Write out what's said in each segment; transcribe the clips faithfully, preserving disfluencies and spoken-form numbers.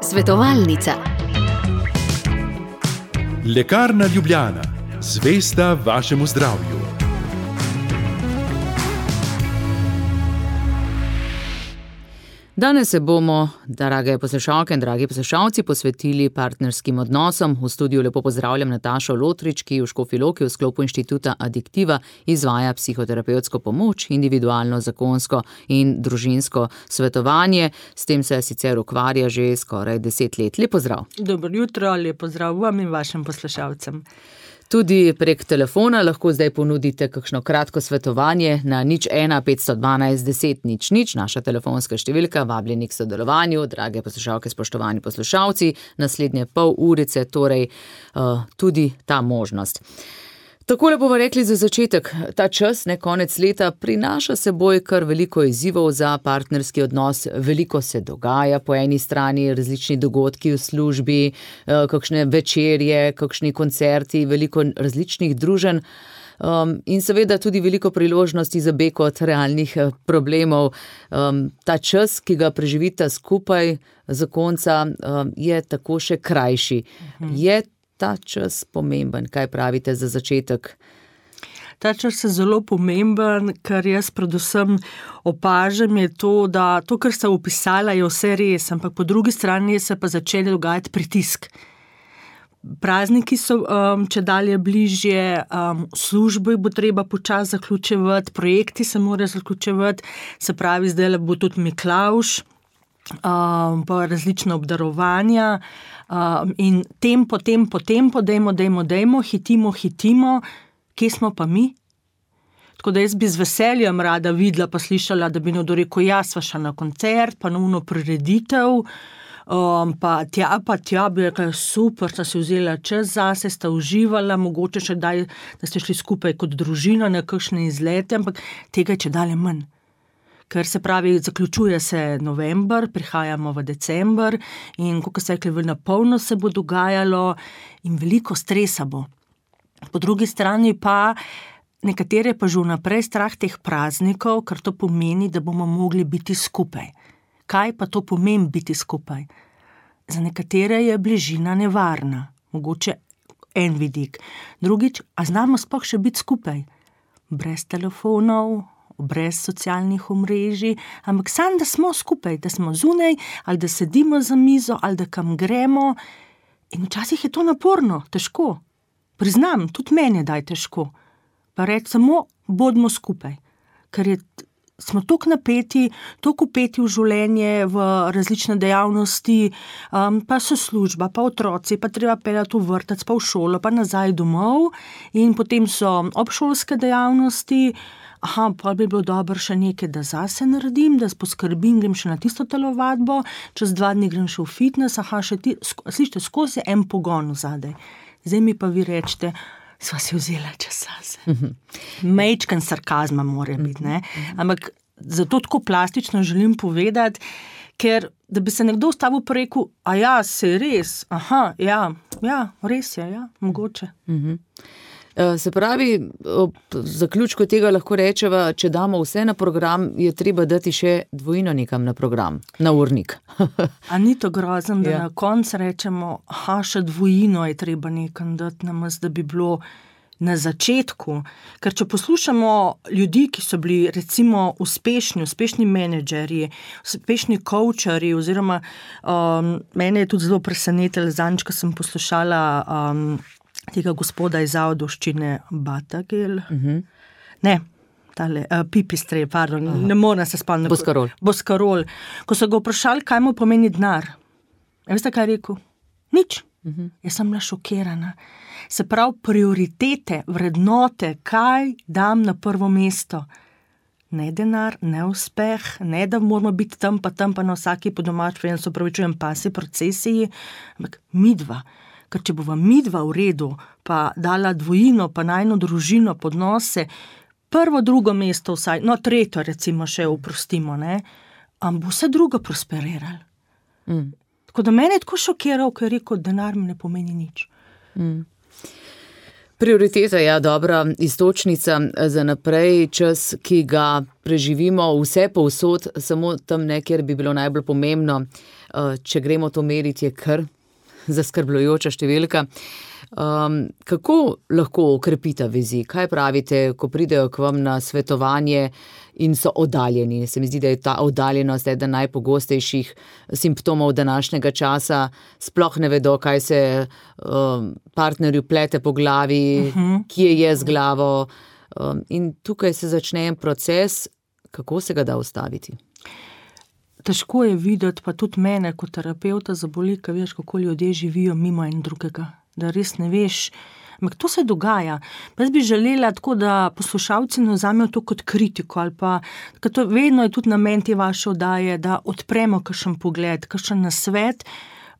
Svetovalnica. Lekarna Ljubljana, zvesta vašemu zdravju. Danes se bomo, drage poslušalke in dragi poslušalci, posvetili partnerskim odnosom. V studiu lepo pozdravljam Natašo Lotrič, ki v Škofji Loki v sklopu Inštituta Adiktiva izvaja psihoterapevtsko pomoč, individualno, zakonsko in družinsko svetovanje. S tem se sicer ukvarja že skoraj deset let. Lep pozdrav. Dobro jutro, lep pozdrav vam in vašim poslušalcem. Tudi prek telefona lahko zdaj ponudite kakšno kratko svetovanje na nič ena petsto dvanajst deset nič nič, naša telefonska številka, vabljeni k sodelovanju, drage poslušalke, spoštovani poslušalci, naslednje pol urice, torej uh, tudi ta možnost. Takole bomo rekli za začetek, ta čas, ne, konec leta, prinaša seboj kar veliko izzivov za partnerski odnos, veliko se dogaja, po eni strani različni dogodki v službi, kakšne večerje, kakšni koncerti, veliko različnih druženj um, in seveda tudi veliko priložnosti za beg od realnih problemov. Um, ta čas, ki ga preživita skupaj zakonca, um, je tako še krajši. Mhm. Je ta čas pomemben? Kaj pravite za začetek? Ta čas je zelo pomemben, kar jaz predvsem opažam, je to, da to, kar ste opisala, je vse res, ampak po drugi strani se pa začeli dogajati pritisk. Prazniki so um, če dalje bližje, um, službe bo treba počasi zaključevati, projekti se morajo zaključevati, se pravi, zdaj bo tudi Miklavž, Um, pa različne obdarovanja um, in tempo, tempo, tempo, dejmo, dejmo, dejmo, hitimo, hitimo, kje smo pa mi? Tako da jaz bi z veseljem rada videla pa slišala, da bi nekdo rekel, ja, sva šla na koncert, pa na uno prireditev, um, pa tja, pa tja, bi rekla, super, sta si vzela čas zase, sta uživala, mogoče še daj, da ste šli skupaj kot družina na kakšne izlete, ampak tega je če dalje manj. Ker se pravi, zaključuje se november, prihajamo v december in, kot ste rekli, na polno se bo dogajalo in veliko stresa bo. Po drugi strani pa nekatere pa že vnaprej strah teh praznikov, ker to pomeni, da bomo mogli biti skupaj. Kaj pa to pomeni biti skupaj? Za nekatere je bližina nevarna, mogoče en vidik. Drugič, a znamo sploh še biti skupaj? Brez telefonov, brez socialnih omrežij, ampak samo, da smo skupaj, da smo zunaj, ali da sedimo za mizo, ali da kam gremo. In včasih je to naporno, težko. Priznam, tudi meni je daj težko. Pa reči samo, bodimo skupaj. Ker je, smo toliko napeti, toliko upeti v življenje, v različne dejavnosti, um, pa so služba, pa otroci, pa treba peljati v vrtec, pa v šolo, pa nazaj domov. In potem so obšolske dejavnosti. Aha, pa bi bilo dobro še nekaj, da zase naredim, da poskrbim, grem še na tisto telovadbo, čez dva dni grem še v fitness, aha, še ti, slište, skozi en pogon vzadej. Zdaj mi pa vi rečete, sva si vzela čas zase. Mm-hmm. Mejčken sarkazma mora biti, ne? Ampak zato tako plastično želim povedati, ker da bi se nekdo ustavil pa rekel, a ja, se res, aha, ja, ja, res je, ja, mogoče. Mm-hmm. Se pravi, ob zaključku tega lahko rečeva, če damo vse na program, je treba dati še dvojino nekam na program, na urnik. A ni to grozen, da ja. Na koncu rečemo, aha, še dvojino je treba nekam dati namaz, da bi bilo na začetku. Ker če poslušamo ljudi, ki so bili recimo uspešni, uspešni menedžerji, uspešni coacheri, oziroma um, mene je tudi zelo presenetilo, zadnjič, ko sem poslušala um, tega gospoda iz Ajdovščine Batagel. Uh-huh. Ne, tale, uh, Pipistrej, pardon, uh-huh. Ne moram se spomniti. Boskarol. Boskarol. Ko so ga vprašali, kaj mu pomeni denar. Ja, veste, kaj je rekel? Nič. Uh-huh. Jaz sem bila šokirana. Se pravi, prioritete, vrednote, kaj dam na prvo mesto. Ne denar, ne uspeh, ne da moramo biti tam pa tam pa na vsaki po domač, pa se opravičujem, pasi procesiji, ampak midva. Ker če bova midva v redu, pa dala dvojino, pa najno družino, podnose, prvo, drugo mesto vsaj, no tretjo recimo še oprostimo, ne, am bo vse drugo prosperiralo. Mm. Tako da mene je tako šokiral, ko je rekel, denar mi ne pomeni nič. Mm. Prioriteta je ja, dobra istočnica za naprej, čas, ki ga preživimo vse povsod, samo tam ne, kjer bi bilo najbolj pomembno, če gremo to meriti, je kar zaskrbljujoča številka. Um, kako lahko okrepita vezi? Kaj pravite, ko pridejo k vam na svetovanje in so oddaljeni? Se mi zdi, da je ta oddaljenost eden najpogostejših simptomov današnjega časa. Sploh ne vedo, kaj se um, partnerju plete po glavi, uh-huh. kje je z glavo. Um, in tukaj se začne en proces, kako se ga da ustaviti. Težko je videti, pa tudi mene kot terapeuta zaboli, ko veš, kako ljudje živijo mimo en drugega. Da res ne veš, ampak to se dogaja. Pa jaz bi želela tako, da poslušalci ne vzamejo to kot kritiko, ali pa, to vedno je tudi namen te vaše oddaje, da odpremo kakšen pogled, kakšen nasvet,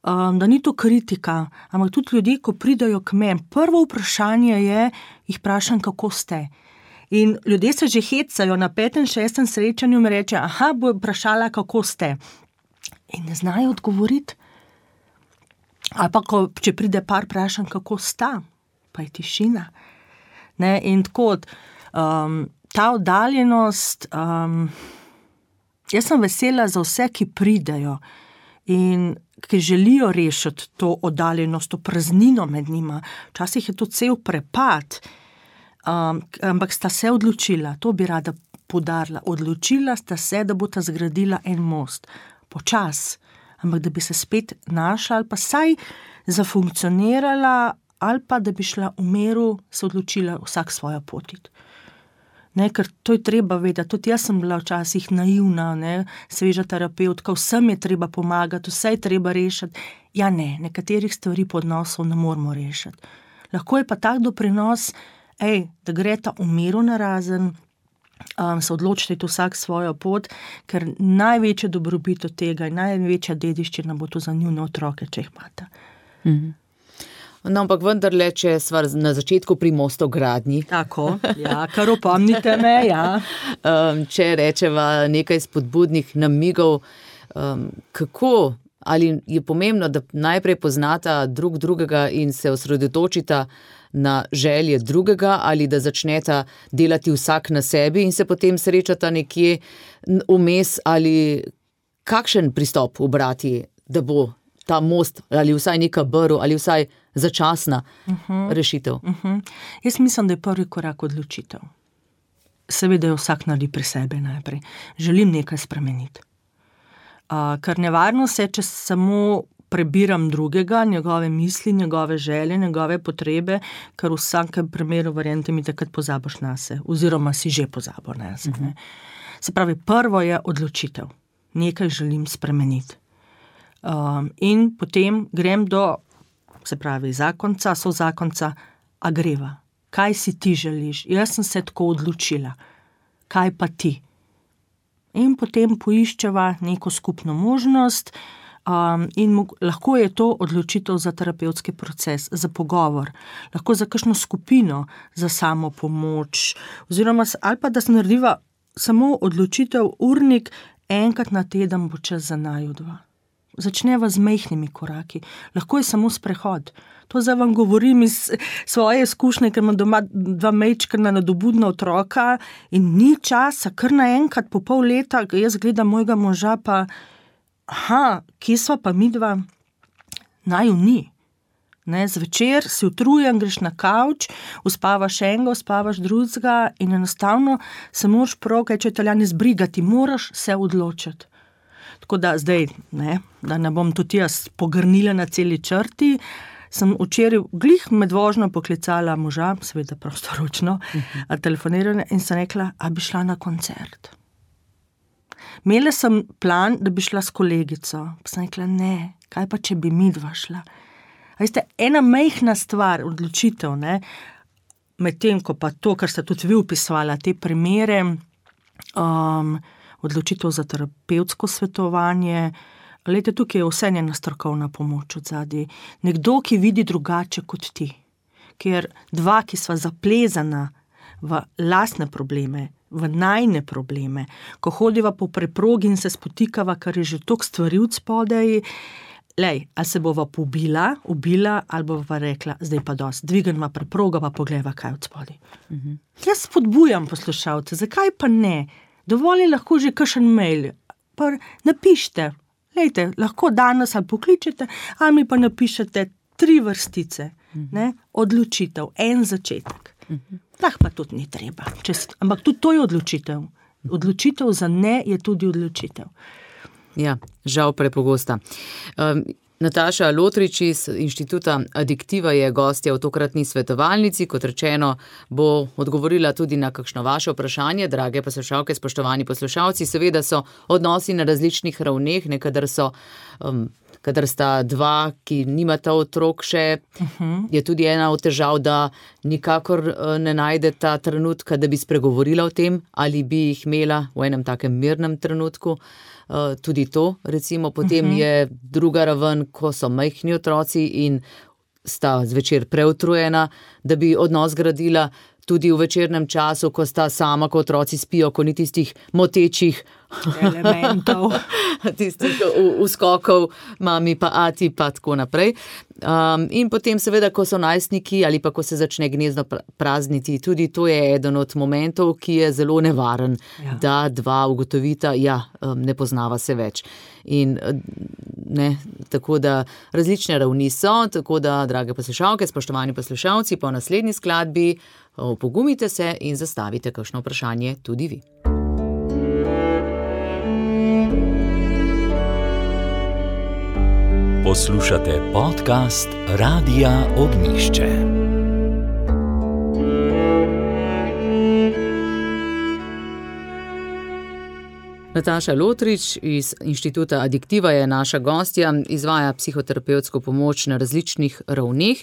um, da ni to kritika, ampak tudi ljudje, ko pridajo k meni, prvo vprašanje je, jih vprašam, kako ste. In ljudje se že hecajo na petem, šestem srečanju mi reče, aha, bo vprašala, kako ste. In ne znajo odgovoriti. Ali pa, ko, če pride par, vprašam, kako sta, pa je tišina. Ne? In tako, um, ta oddaljenost, um, jaz sem vesela za vse, ki pridejo in ki želijo rešiti to oddaljenost, to praznino med njima. Včasih je to cel prepad, um, ampak sta se odločila, to bi rada poudarila, odločila sta se, da bosta zgradila en most, počas, ampak da bi se spet našla ali pa saj zafunkcionirala ali pa da bi šla v miru, se odločila vsak svojo potit. Ne, ker to je treba vedeti, tudi jaz sem bila včasih naivna, ne, sveža terapeutka, vsem je treba pomagati, vse je treba rešiti. Ja ne, nekaterih stvari po odnosov ne moramo rešiti. Lahko je pa tak doprinos, ej, da greta v miru narazen, Um, se odločite vsak svojo pot, ker največje dobrobit od tega in največja dediščina bo to za njune otroke, če jih imata. Mm-hmm. No, ampak vendarle, če sva na začetku pri mostogradnji. Tako, ja, kar opomnite me, ja. Um, če rečeva nekaj spodbudnih namigov, um, kako, ali je pomembno, da najprej poznata drug drugega in se osredotočita na želje drugega ali da začneta delati vsak na sebi in se potem srečata nekje vmes ali kakšen pristop ubrati, da bo ta most ali vsaj neka brv ali vsaj začasna uh-huh. rešitev. Uh-huh. Jaz mislim, da je prvi korak odločitev. Seveda je vsak naredi pri sebi najprej. Želim nekaj spremeniti. Uh, ker nevarno se, če samo prebiram drugega, njegove misli, njegove želje, njegove potrebe, ker v vsakem primeru, verjamete mi, takrat pozabiš nase, oziroma si že pozabil nase. Uh-huh. Se pravi, prvo je odločitev. Nekaj želim spremeniti. Um, in potem grem do, se pravi, zakonca, so zakonca, a greva. Kaj si ti želiš? Jaz sem se tako odločila. Kaj pa ti? In potem poiščeva neko skupno možnost, Um, in mo- lahko je to odločitev za terapevtski proces, za pogovor, lahko za kakšno skupino, za samo pomoč, oziroma, ali pa da se narediva samo odločitev urnik, enkrat na teden bo čas za naju dva. Začneva z majhnimi koraki, lahko je samo sprehod. To zdaj vam govorim iz svoje izkušnje, ker imam doma dva majčkana nadobudna otroka in ni časa, kar naenkrat po pol leta, jaz gledam mojega moža pa aha, kje sva pa midva? Naju ni. Ne, zvečer si utrujen, greš na kavč, uspavaš enega, uspavaš drugega in enostavno se moraš prav, kaj če Italijani zbrigati, moraš se odločiti. Tako da zdaj, ne, da ne bom tudi jaz pogrnila na celi črti, sem včeraj glih med vožnjo poklicala moža, seveda prostoročno, uh-huh. telefonirala in sem rekla, a bi šla na koncert. Imela sem plan, da bi šla s kolegico. Pa sem rekla, ne, kaj pa, če bi midva šla. A veste, ena majhna stvar, odločitev, ne, med tem, ko pa to, kar ste tudi vi upisvala, te primere, um, odločitev za terapevtsko svetovanje, glejte, tukaj je vse njena strokovna pomoč od zadaj. Nekdo, ki vidi drugače kot ti. Ker dva, ki sva zaplezana v lastne probleme, v najne probleme, ko hodiva po preprogi in se spotikava, kar je že toliko stvari od spodaj, lej, ali se bova pobila, ubila, ali bova rekla, zdaj pa dosti, dvigneva preproga, pa pogledava, kaj od spodaj. Uh-huh. Jaz spodbujam poslušalce, zakaj pa ne? Dovolj je lahko že kakšen mail, pa napišite, lejte, lahko danes ali pokličete, ali mi pa napišete tri vrstice, uh-huh. ne? Odločitev, en začetek. Uh-huh. Tak pa tudi ni treba, Čez, ampak tudi to je odločitev. Odločitev za ne je tudi odločitev. Ja, žal prepogosta. Um, Nataša Lotrič iz Inštituta Adiktiva je gostja v tokratni svetovalnici. Kot rečeno, bo odgovorila tudi na kakšno vaše vprašanje. Drage poslušalke, spoštovani poslušalci, seveda so odnosi na različnih ravneh, nekadar so, um, kadar sta dva, ki nimata otrok še, uh-huh. je tudi ena od težav, da nikakor uh, ne najdeta trenutka, da bi spregovorila o tem, ali bi jih imela v enem takem mirnem trenutku. Uh, tudi to, recimo, potem uh-huh. je druga raven, ko so majhni otroci in sta zvečer preutrujena, da bi odnos gradila tudi v večernem času, ko sta sama, ko otroci spijo, ko ni tistih motečih elementov, tistih uskokov, mami pa ati pa tako naprej. Um, in potem seveda, ko so najstniki ali pa ko se začne gnezdo prazniti, tudi to je eden od momentov, ki je zelo nevaren, ja. Da dva ugotovita, ja, ne poznava se več. In ne, tako da različne ravni so, tako da, drage poslušalke, spoštovani poslušalci, po naslednji skladbi opogumite se in zastavite kakšno vprašanje tudi vi. Poslušate podcast Radia Ognjišče. Nataša Lotrič iz Inštituta Adiktiva je naša gostja, izvaja psihoterapevtsko pomoč na različnih ravneh.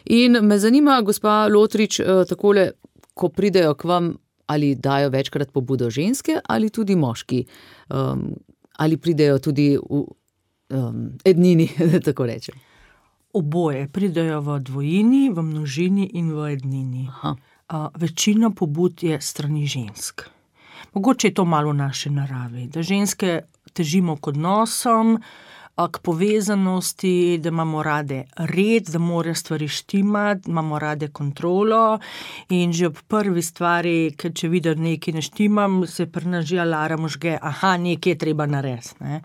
In me zanima, gospa Lotrič, takole, ko pridejo k vam, ali dajo večkrat pobudo ženske ali tudi moški, um, ali pridejo tudi v um, ednini, da tako rečem. Oboje, pridejo v dvojini, v množini in v ednini. Uh, večina pobud je strani žensk. Mogoče je to malo v naši naravi, da ženske težimo k odnosom, k povezanosti, da imamo rade red, da morajo stvari štimati, imamo rade kontrolo in že ob prvi stvari, ker če vidim nekaj ne štimam, se pri nas že alarm žge, aha, nekaj je treba narediti. Ne?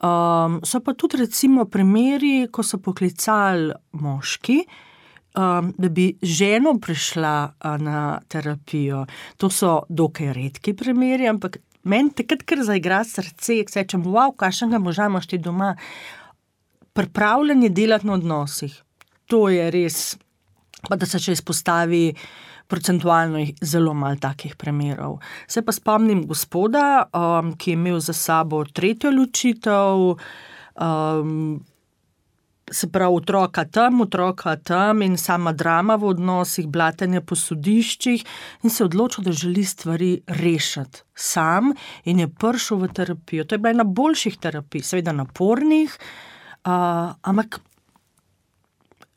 Um, so pa tudi recimo primeri, ko so poklicali moški, um, da bi ženo prišla uh, na terapijo. To so dokaj redki primeri, ampak meni takrat, ker zaigra srce, se rečem, wow, kakšnega moža imaš ti doma, pripravljanje delati na odnosih. To je res, pa da se še izpostavi procentualno zelo malo takih primerov. Se pa spomnim gospoda, um, ki je imel za sabo tretjo ločitev, um, se pravi otroka tam, otroka tam in sama drama v odnosih, blatenje po sodiščih in se odločil, da želi stvari rešiti sam in je prišel v terapijo. To je bila ena boljših terapij, seveda napornih, uh, ampak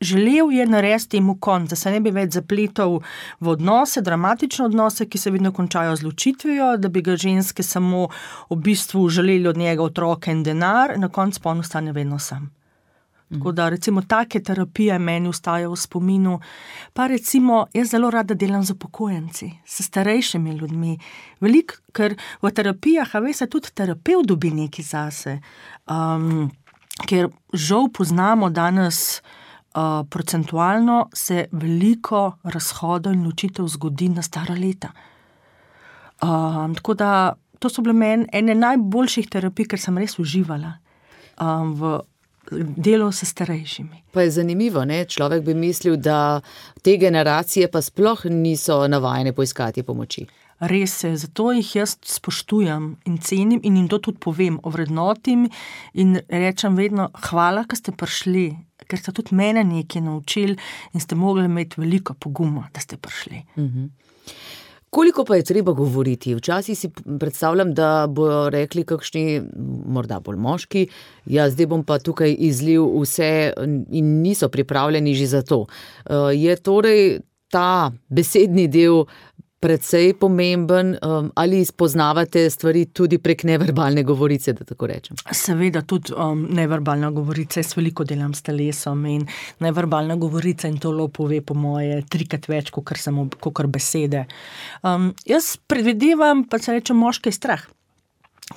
želel je narediti temu konc, da se ne bi več zapletal v odnose, dramatične odnose, ki se vedno končajo z ločitvijo, da bi ga ženske samo v bistvu želeli od njega otroke in denar, na koncu pa on ostane vedno sam. Tako da recimo take terapije meni ostajajo v spominu. Pa recimo, jaz zelo rada delam z upokojenci, s starejšimi ljudmi. Veliko, ker v terapijah, a veste, tudi terapevt dobi nekaj zase. Um, ker žal poznamo danes uh, procentualno se veliko razhodov in ločitev zgodi na stara leta. Um, tako da to so bile meni ene najboljših terapij, ker sem res uživala um, v delo s starejšimi. Pa je zanimivo, ne? Človek bi mislil, da te generacije pa sploh niso navajene poiskati pomoči. Res je, zato jih jaz spoštujem in cenim in jim to tudi povem, ovrednotim in rečem vedno, hvala, ker ste prišli, ker ste tudi mene nekaj naučili in ste mogli imeti veliko poguma, da ste prišli. Mhm. Koliko pa je treba govoriti? Včasih si predstavljam, da bojo rekli kakšni, morda bolj moški, ja, zdaj bom pa tukaj izlil vse in niso pripravljeni že za to. Je torej ta besedni del precej pomemben, um, ali spoznavate stvari tudi prek neverbalne govorice, da tako rečem? Seveda tudi um, neverbalna govorica, jaz veliko delam s telesom in neverbalna govorica in to pove po moje trikrat več, kot samo kakor besede. Um, jaz predvidevam, pa se reče, moški strah.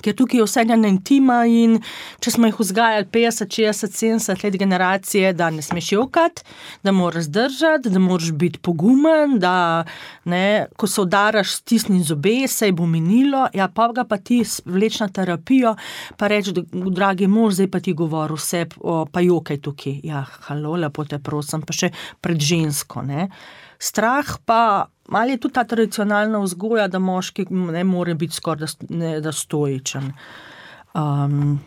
Ker tukaj je vse ena intima in če smo jih vzgajali petdeset, šestdeset, sedemdeset let generacije, da ne smeš jokati, da moraš zdržati, da moraš biti pogumen, da ne, ko se udaraš, stisni zobe, se bo minilo, ja, pa ga pa ti vleč na terapijo, pa reč, dragi mož, zdaj pa ti govori vse, o, pa jokaj tukaj. Ja, halo, lepo te prosim, pa še pred žensko, ne. Strah pa, ali je tudi ta tradicionalna vzgoja, da moški ne more biti skoraj da, da stoičen. Um,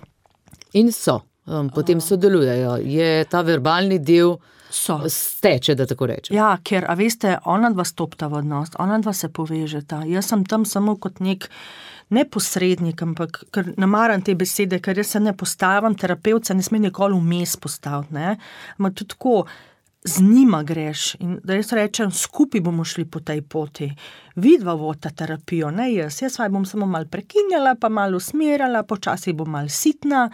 In so, um, potem sodelujejo. Je ta verbalni del so. Steče, da tako rečem. Ja, ker, a veste, ona dva stopta v odnos, ona dva se povežeta. Jaz sem tam samo kot nek ne posrednik, ampak ker ne maram te besede, ker jaz se ne postavim, terapevt se ne sme nikoli vmes postaviti, ne. Ma tudi tako, z njima greš in da jaz rečem, skupaj bomo šli po tej poti. Vidva vodita terapijo, ne jaz. Jaz vaj bom samo malo prekinjala, pa malo usmerjala, počasi bom malo sitna.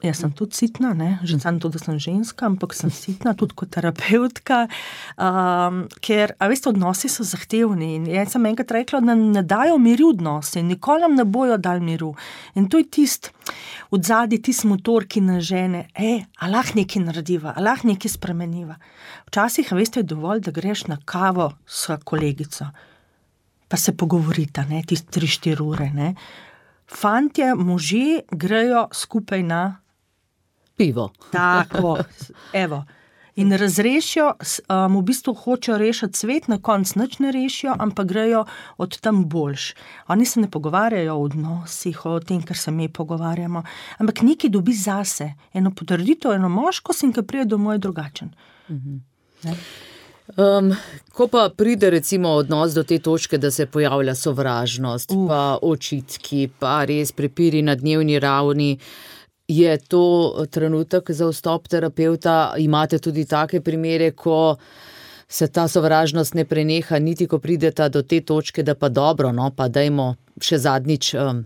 Jaz sem tudi sitna, ne, že sam to, da sem ženska, ampak sem sitna tudi kot terapeutka, um, ker, a veste, odnosi so zahtevni in jaz sem enkrat rekla, da ne dajo miru odnosi, nikoli nam ne bojo dali miru. In to je tist, odzadaj tist motor, ki nas žene, e, a lahko nekaj narediva, a lahko nekaj spremeniva. Včasih, a veste, je dovolj, da greš na kavo s kolegico, pa se pogovorita, ne, tist tri, štiri ure, ne. Fantje, možje grejo skupaj na pivo. Tako, evo. In razrešijo, um, v bistvu hočejo rešiti svet, na koncu nič ne rešijo, ampak grejo od tam boljš. Oni se ne pogovarjajo o odnosih, o tem, kar se mi pogovarjamo, ampak nekaj dobi zase. Eno potrditev, eno moškost in ki pride domov je drugačen. Mhm. Um, ko pa pride recimo odnos do te točke, da se pojavlja sovražnost, uh. pa očitki, pa res prepiri na dnevni ravni, je to trenutek za vstop terapevta? Imate tudi take primere, ko se ta sovražnost ne preneha, niti ko prideta do te točke, da pa dobro, no, pa dajmo še zadnjič um,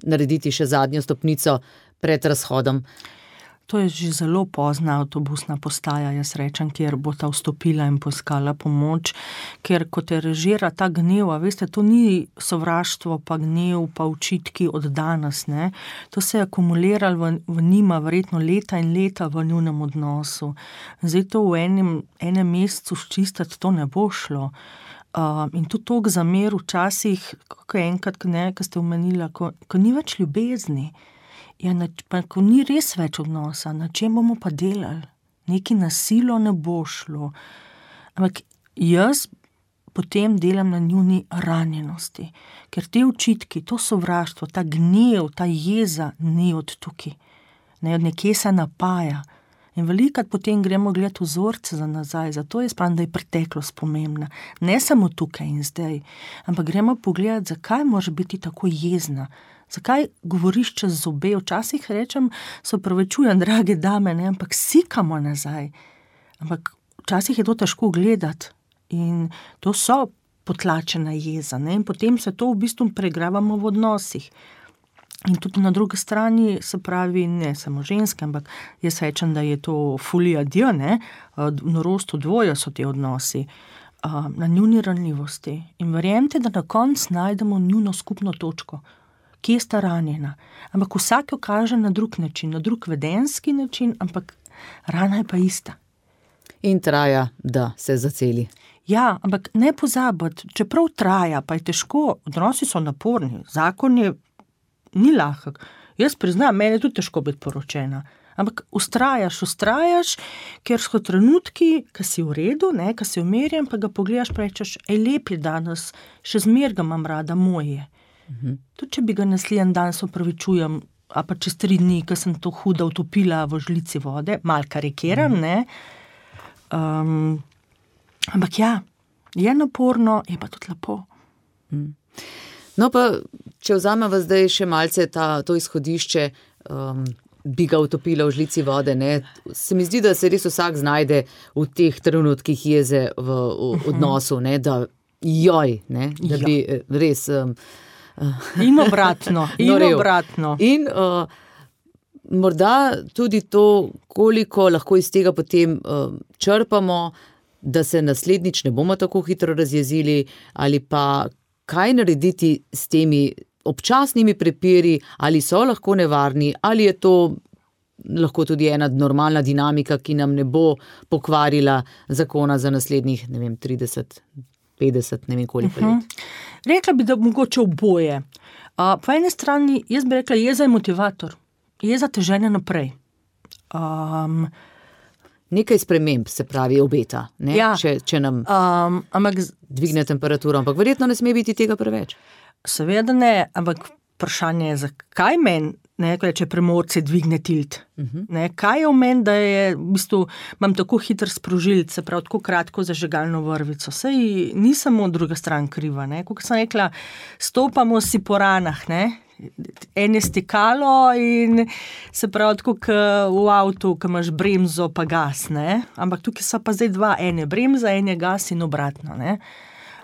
narediti še zadnjo stopnico pred razhodom. To je že zelo pozna avtobusna postaja, jaz rečem, kjer bo ta vstopila in poiskala pomoč, ker ko te režira ta gnev, a veste, to ni sovraštvo, pa gnev, pa očitki od danes, ne. To se je akumuliralo v, v njima verjetno leta in leta v njunem odnosu. Zdaj to v enem, enem mesecu ščistiti, to ne bo šlo. Uh, in tudi toliko zamer včasih, kako enkrat, ne, ko ste omenila, ko, ko ni več ljubezni, ja, na, pa ko ni res več odnosa, na čem bomo pa delali? Neki nasilo ne bo šlo. Ampak jaz potem delam na njuni ranjenosti, ker te očitki, to sovraštvo, ta gnev, ta jeza ni od tukaj. Ne, od nekje se napaja. In velikrat potem gremo gledati vzorce za nazaj, zato je spravim, da je preteklost pomembna. Ne samo tukaj in zdaj, ampak gremo pogledati, zakaj može biti tako jezna. Zakaj govoriš čez zobe? Včasih rečem, se opravičujem, drage dame, ne, ampak sikamo nazaj. Ampak včasih je to težko gledati in to so potlačena jeza, ne, in potem se to v bistvu pregravamo v odnosih. In tudi na drugi strani, se pravi, ne samo ženske, ampak jaz rečem, da je to fulija dio, ne, norost v dvoje so te odnosi, na njuni ranljivosti. In verjemite, da na koncu najdemo njuno skupno točko, kje sta ranjena. Ampak vsak jo kaže na drug način, na drug vedenski način, ampak rana je pa ista. In traja, da se zaceli. Ja, ampak ne pozabiti, čeprav traja, pa je težko, odnosi so naporni, zakon je ni lahek. Jaz priznam, meni je tudi težko biti poročena. Ampak ustrajaš, ustrajaš, ker so trenutki, ki si v redu, ne, ki si umirjen, pa ga pogledaš, pa rečeš, ej, lep je danes, še zmer ga imam rada, moj je. Mhm. Tudi, če bi ga naslednji dan se opravičujem, a pa čez tri dni, ko sem to huda utopila v žlici vode, malo karikiram, ne. Um, ampak ja, je naporno, je pa tudi lepo. Mhm. No pa, če vzameva zdaj še malce ta, to izhodišče, um, bi ga utopila v žlici vode, ne, se mi zdi, da se res vsak znajde v teh trenutkih jeze v, v odnosu, ne, da joj, ne, da bi res... Um, in obratno, in norel. obratno. In uh, morda tudi to, koliko lahko iz tega potem uh, črpamo, da se naslednjič ne bomo tako hitro razjezili, ali pa kaj narediti s temi občasnimi prepiri, ali so lahko nevarni, ali je to lahko tudi ena normalna dinamika, ki nam ne bo pokvarila zakona za naslednjih, ne vem, trideset, petdeset, ne vem koliko let. Uh-huh. Rekla bi, da mogoče oboje. Uh, po eni strani, jaz bi rekla, jeza je motivator. Jeza te žene naprej. Um, Nekaj sprememb se pravi obeta, ne? Ja, če, če nam um, ampak, dvigne temperaturo, ampak verjetno ne sme biti tega preveč. Seveda ne, ampak vprašanje je, zakaj meni, ne, če premorce dvigne tilt. Uh-huh. Ne, kaj je v meni, da je, v bistvu, imam tako hiter sprožilc, se pravi, tako kratko zažegalno vrvico. Sej ni samo druga stran kriva, ne. Kot sem rekla, stopamo si po ranah, ne. En je stekalo in se pravi, tako v avtu, ko imaš bremzo pa gas, ne. Ampak tukaj so pa zdaj dva, en je bremza, en je gas in obratno, ne.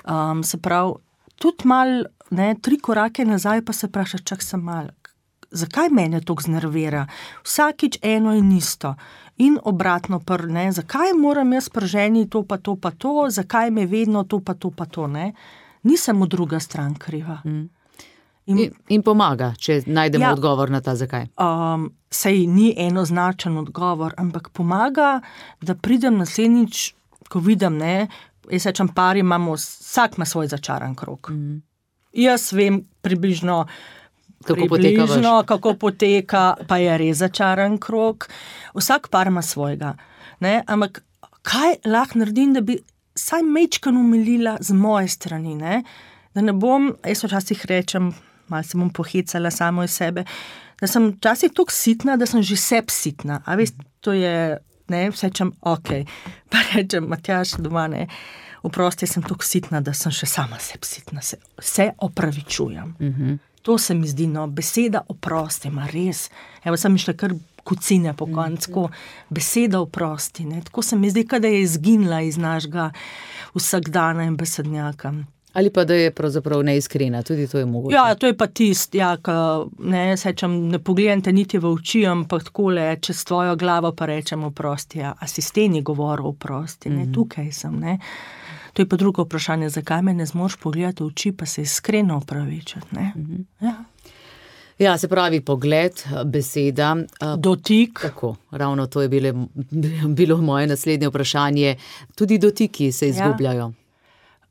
Um, se pravi, tudi mal, ne, tri korake nazaj pa se vpraša, čak sem mal, zakaj mene to znervira? Vsakič eno in isto. In obratno, pr, ne, zakaj moram jaz prženi to pa to pa to, zakaj me vedno to pa to pa to, ne. Nisem druga stran kriva. Mm. In, in pomaga, če najdemo ja, odgovor na ta zakaj. Um, sej ni enoznačen odgovor, ampak pomaga, da pridem naslednjič, ko vidim, ne, jaz rečem, pari imamo, vsak ima svoj začaran krog. Mm. Jaz vem približno, kako približno, poteka, kako poteka, pa je res začaran krog. Vsak par ima svojega. Ne? Ampak kaj lahko naredim, da bi saj mečkan umilila z moje strani, ne? Da ne bom, jaz včasih rečem, malo se bom pohecala samo iz sebe, da sem včasih toliko sitna, da sem že seb sitna. A veš, to je, ne, vsečem, ok. Pa rečem, Matjaž, doma, ne, oprosti, sem toliko sitna, da sem še sama seb sitna. Se, se opravičujem. Uh-huh. To se mi zdi, no, beseda oprosti, ma res. Evo, sem išla kar kucine po koncu, beseda oprosti, ne. Tako se mi zdi, kada je izginila iz našega vsakdana in besednjaka. Ali pa da je pravzaprav neiskrena, tudi to je mogoče. Ja, to je pa tist, ja, ka, ne, sečem, ne pogledam te niti v oči, ampak takole, čez tvojo glavo pa rečem oprosti, ja, a si s teni govoril oprosti, ne, mm-hmm. tukaj sem, ne. To je pa drugo vprašanje, zakaj me ne zmoš pogledati v oči, pa se iskreno opravičati, ne. Mm-hmm. Ja. Ja, se pravi pogled, beseda. Dotik. Tako, ravno to je bile, bilo moje naslednje vprašanje. Tudi dotiki se izgubljajo.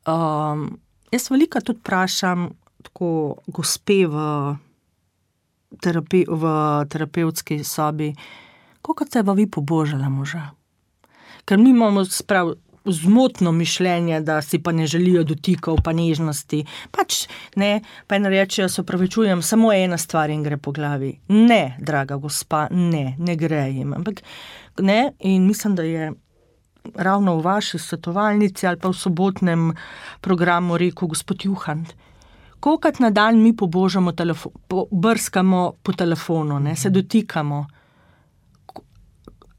Ja. Um, jaz velika tudi vprašam tako gospe v, terapi, v terapevtski sobi, koliko se pa vi pobožala moža? Ker mi imamo sprav zmotno mišljenje, da si pa ne želijo dotikov, pa nežnosti. Pač ne, pa ena rečejo, se opravičujem, samo ena stvar in gre po glavi. Ne, draga gospa, ne, ne gre jim. Ampak ne, in mislim, da je ravno v vaši svetovalnici ali pa v sobotnem programu rekel gospod Juhant, kolikrat na dan mi pobožamo telefon, po, brskamo po telefonu, ne, se dotikamo.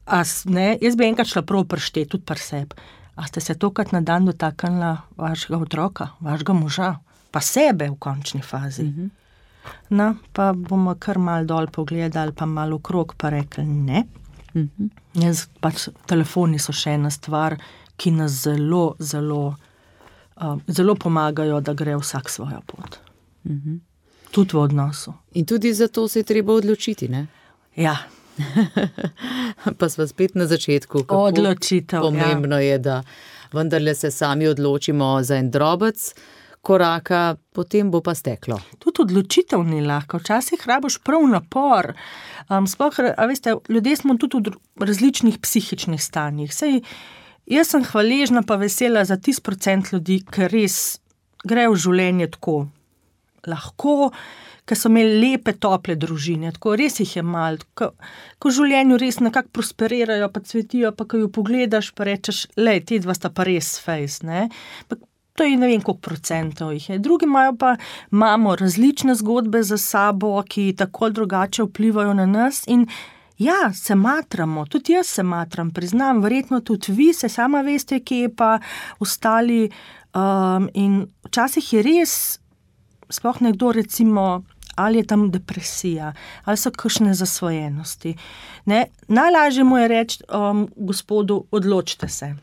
A, ne, jaz bi enkrat šla prav prštet, tudi pri sebi. A ste se tokrat na dan dotaknila vašega otroka, vašega moža, pa sebe v končni fazi? Mm-hmm. No, pa bomo kar mal dol pogledali, pa malo okrog, pa rekli ne. Mm-hmm. Jaz, pač, telefoni so še ena stvar, ki nas zelo, zelo, uh, zelo pomagajo, da gre vsak svojo pot. Mm-hmm. Tudi v odnosu. In tudi zato se je treba odločiti, ne? Ja. Pa sva spet na začetku. Kako odločitev, pomembno ja. je, da vendarle se sami odločimo za en drobec koraka, potem bo pa steklo. Tudi odločitev ni lahko, včasih rabiš prav napor. Um, sploh, a veste, ljudje smo tudi v različnih psihičnih stanjih. Sej, jaz sem hvaležna pa vesela za tisti procent ljudi, ki res gre v življenje tako lahko, ki so imeli lepe, tople družine, tako res jih je malo, ko, ko v življenju res nekako prosperirajo, pa cvetijo, pa ko jo pogledaš, pa rečeš, lej, te dva sta pa res fejs, ne. Pa, to je ne vem, koliko procentov jih je. Drugi imajo pa, imamo različne zgodbe za sabo, ki tako drugače vplivajo na nas in Ja, se matramo, tudi jaz se matram, priznam, verjetno tudi vi, se sama veste, kje pa ostali um, in včasih je res, sploh nekdo recimo, ali je tam depresija, ali so kakšne zasvojenosti. Ne? Najlažje mu je reči um, gospodu, odločite se.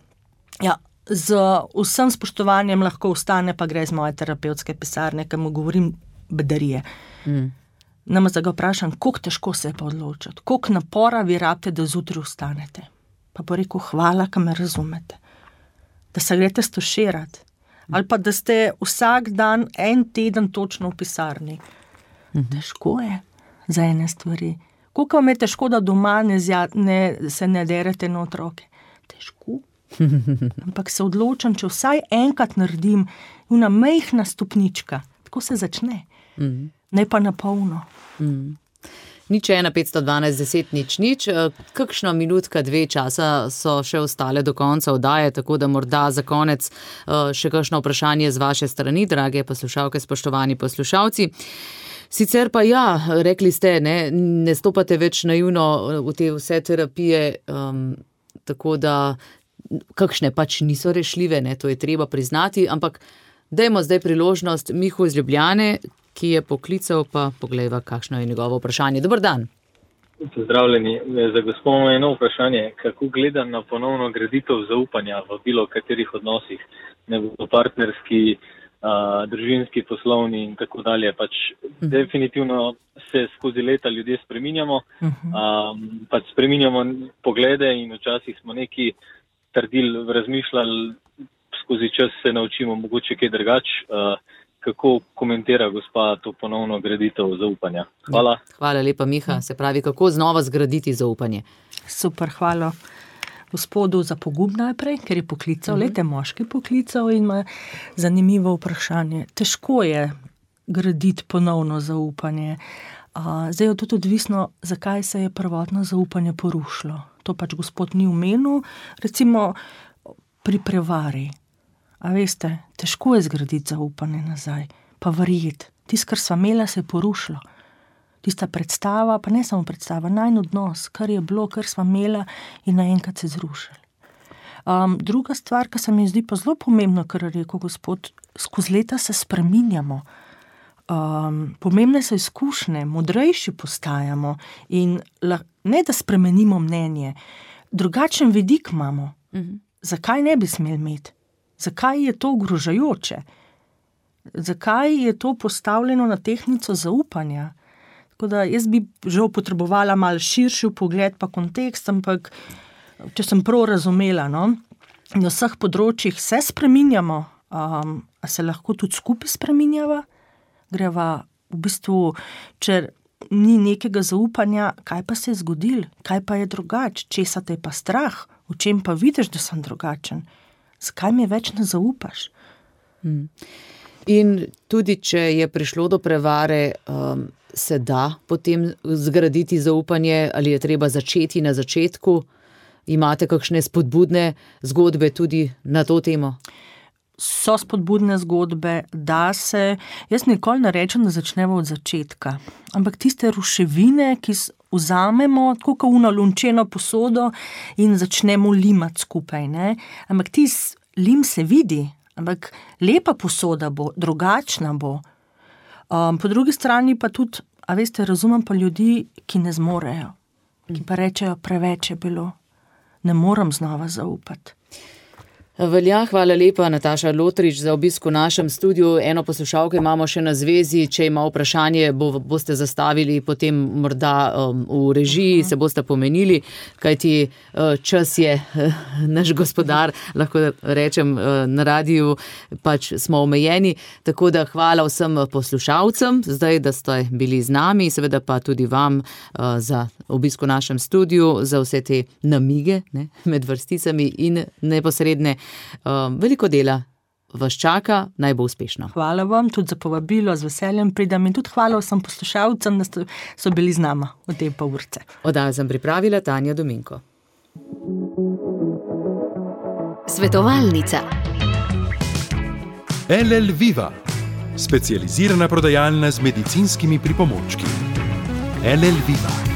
Ja, z vsem spoštovanjem lahko ostane, pa gre z moje terapevtske pisarne, ker mu govorim bedarije. Mm. Nama za ga vprašam, koliko težko se je pa odločiti, koliko napora vi rabite, da zjutraj ostanete. Pa bo rekel, hvala, ka me razumete. Da se greste stoširati. Ali pa da ste vsak dan, en teden točno v pisarni. Mm-hmm. Težko je za ene stvari. Koliko vam je težko, da doma ne, zja, ne se ne derete na otroke? Težko. Ampak se odločam, če vsaj enkrat naredim una majhna stopnička. Tako se začne. Mm-hmm. Ne pa na polno. Mm. Nič ena, petsto dvanajst, deset, nič, nič. Kakšna minutka, dve časa so še ostale do konca oddaje, tako da morda za konec še kakšno vprašanje z vaše strani, drage poslušalke, spoštovani poslušalci. Sicer pa ja, rekli ste, ne, ne stopate več naivno v te vse terapije, um, tako da kakšne pač niso rešljive, ne, to je treba priznati, ampak dajmo zdaj priložnost Mihu iz Ljubljane, ki je poklical, pa poglejva, kakšno je njegovo vprašanje. Dobar dan. Pozdravljeni. Za gospod je eno vprašanje, kako gleda na ponovno graditev zaupanja v bilo katerih odnosih, ne bo partnerski, uh, družinski, poslovni in tako dalje. Pač uh-huh. definitivno se skozi leta ljudje spreminjamo, uh-huh. um, pač spreminjamo poglede in včasih smo neki trdili, razmišljali, skozi čas se naučimo mogoče kaj drugač. Uh, Kako komentira gospa to ponovno graditev zaupanja? Hvala. Hvala lepa, Miha. Se pravi, kako znova zgraditi zaupanje? Super, hvala gospodu za pogum najprej, ker je poklical, uh-huh. lete moški poklical in ima zanimivo vprašanje. Težko je graditi ponovno zaupanje. Uh, zdaj je tudi odvisno, zakaj se je prvotno zaupanje porušilo. To pač gospod ni omenil, recimo pri prevari. A veste, težko je zgraditi zaupanje nazaj, pa verjeti. Tisto, kar sva imela, se je porušilo. Tista predstava, pa ne samo predstava, najin odnos, kar je bilo, kar sva imela in naenkrat se zrušili. Um, druga stvar, ki se mi zdi pa zelo pomembno, kar je rekel gospod, skozi leta se spreminjamo. Um, pomembne so izkušnje, modrejši postajamo in la, ne da spremenimo mnenje, drugačen vidik imamo. Mhm. Zakaj ne bi smeli imeti? Zakaj je to ogrožajoče? Zakaj je to postavljeno na tehtnico zaupanja? Tako da jaz bi žal potrebovala malo širši pogled pa kontekst, ampak če sem prav razumela, no, na vseh področjih se spreminjamo, um, a se lahko tudi skupaj spreminjava? Greva v bistvu, če ni nekega zaupanja, kaj pa se je zgodil? Kaj pa je drugače? Česa te je pa strah? V čem pa vidiš, da sem drugačen? Zakaj mi več ne zaupaš? Hmm. In tudi, če je prišlo do prevare, um, se da potem zgraditi zaupanje, ali je treba začeti na začetku? Imate kakšne spodbudne zgodbe tudi na to temo? So spodbudne zgodbe, da se, jaz nikoli ne rečem, da začnemo od začetka, ampak tiste ruševine, ki vzamemo, tako kot uno lončeno posodo in začnemo limati skupaj, ne? Ampak tis lim se vidi, ampak lepa posoda bo, drugačna bo. Um, po drugi strani pa tudi, a veste, razumem pa ljudi, ki ne zmorejo, ki pa rečejo, preveč je bilo, ne moram znova zaupati. Velja, hvala lepa, Nataša Lotrič, za obisk v našem studiu. Eno poslušalko imamo še na zvezi, če ima vprašanje, bo, boste zastavili potem morda um, v režiji, se boste pomenili, kajti uh, čas je uh, naš gospodar, lahko rečem, uh, na radiju pač smo omejeni, tako da hvala vsem poslušalcem, zdaj, da ste bili z nami, seveda pa tudi vam uh, za obisk v našem studiu, za vse te namige, ne, med vrsticami in neposredne. Um, veliko dela vas čaka, naj bo uspešno. Hvala vam tudi za povabilo, z veseljem pridem in tudi hvala vsem poslušalcem, da so bili z nama v te pol urce. Oddajo sem pripravila Tanja Dominko. Svetovalnica. L L Viva, specializirana prodajalna z medicinskimi pripomočki. L L Viva.